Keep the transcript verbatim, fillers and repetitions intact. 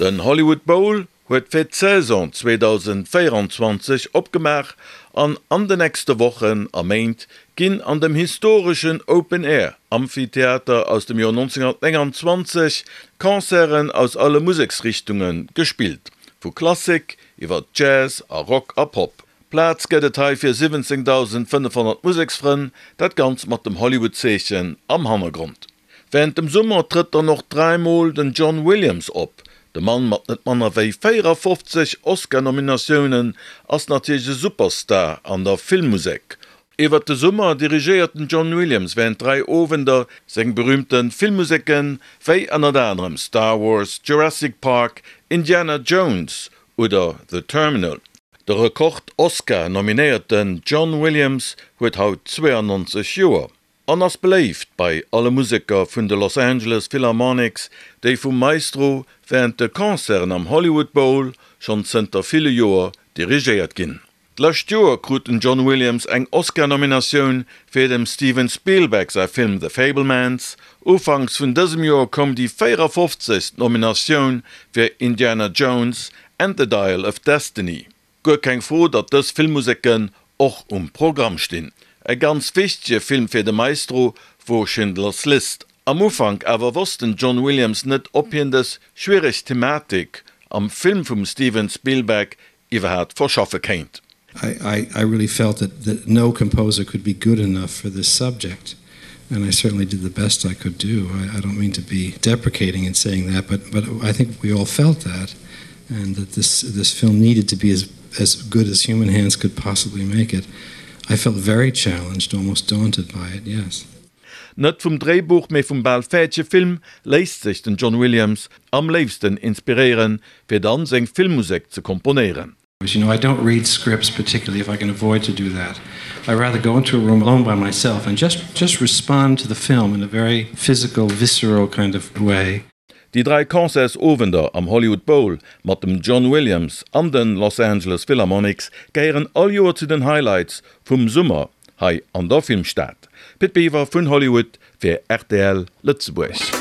Den Hollywood Bowl huet fir d'Saison zweedausendvéieranzwanzeg opgemaach an an de nächste Wochen a Méint ginn an dem historeschen Open-Air Amphitheater aus dem Joer nonzénghunnertnénganzwanzeg Concerten aus alle Museksrichtunge gespillt, vu Klassik iwwer Jazz a Rock a Pop. Plaz gëtt et hei fir siwwenzéngdausendfënnefhonnert Museksfrënn, dat Ganzt mat dem Hollywood-Zeechen am Hannergrond. Wärend dem Summer trëtt dann och dräi Mol den John Williams op. De Mann mat net manner wéi véierafofzeg Oscar-Nominatiounen ass natierlech e Superstar an der Filmmusek. Iwwert de Summer dirigéiert den John Williams wärend dräi Owender seng berüümte Filmmuseken, wéi ënnert anerem Star Wars, Jurassic Park, Indiana Jones oder The Terminal. De Rekord-Oscar-Nominéierten John Williams huet haut zweeanonzeg Joer an ass beléift bei alle Museker vun de Los Angeles Philharmonics, déi vum Maestro wärend de Concerten am Hollywood Bowl schonn zënter ville Joer dirigéiert ginn. D'lescht Joer krut den John Williams eng Oscar-Nominatioun fir dem Steven Spielberg säi Film The Fabelmans. Ufanks vun dësem Joer koum déi véierafofzegst Nominatioun fir Indiana Jones and the Dial of Destiny. Guer keng Fro, datt dës Filmmuseken och um Programm stinn. E ganz wichtege Film fir de Maestro wor Schindler's List. Am Ufank awer wosst den John Williams net, ob hien dës schwiereg Thematik am Film vum Steven Spielberg iwwerhaapt verschaffe kéint. I, I, I really felt that, that no composer could be good enough for this subject and I certainly did the best I could do. I, I don't mean to be deprecating in saying that, but, but I think we all felt that and that this, this film needed to be as, as good as human hands could possibly make it. I felt very challenged, almost daunted by it, yes. Net vum Dréibuch, mee vum bal fäerdege Film léisst sech den John Williams am léifsten inspiréieren, fir dann seng Filmmusek ze komponéieren. You know, I don't read scripts particularly if I can avoid to do that. I rather go into a room alone by myself and just just respond to the film in a very physical, visceral kind of way. Déi dräi Concertsowender am Hollywood Bowl mat dem John Williams an de Los Angeles Philharmonics gehéieren all Joer zu den Highlights vum Summer hei an der Filmstad. Pit Biwer vun Hollywood fir rtl Lëtzebuerg.